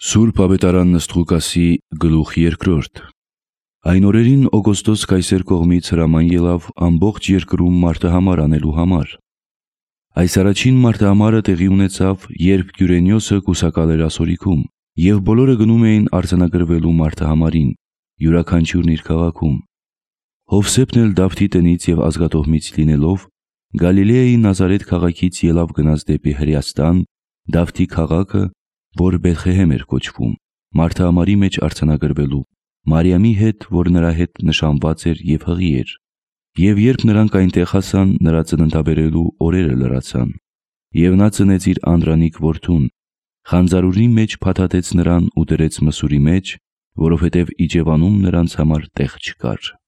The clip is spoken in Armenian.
Սուրբ Ավետարան Նսթղուկասի գլուխ 2 Այն օրերին Օգոստոս կայսեր կողմից հրաման ելավ ամբողջ երկրում մարդահամար անելու համար։ Այս առաջին մարդահամարը տեղի ունեցավ, երբ Կյուրենիոսը կուսակալ էր ասորիքում, և բոլորը գնում էին արձանագրվելու մարդահամարին, յուրաքանչյուրն իր քաղաքում։ Հովսեփն էլ Դավթի տնից և ազգատոհմից լինելով, Գալիլեայի Նազարեթ քաղաքից ելավ գնաց դեպի Հրեաստան, Դավթի քաղաքը, որ Բեթլեհեմ էր կոչվում, մարդահամարի մեջ արձանագրվելու, Մարիամի հետ, որ նրա հետ նշանված էր և հղի էր։ Եվ երբ նրանք այնտեղ հասան, նրա ծննդաբերելու օրերը լրացան։ Եվ նա ծնեց իր անդրանիկ որդուն, խանձարուրի մեջ փաթաթեց նրան ու դրեց մսուրի մեջ, որովհետև իջևանում նրանց համար տեղ չկար։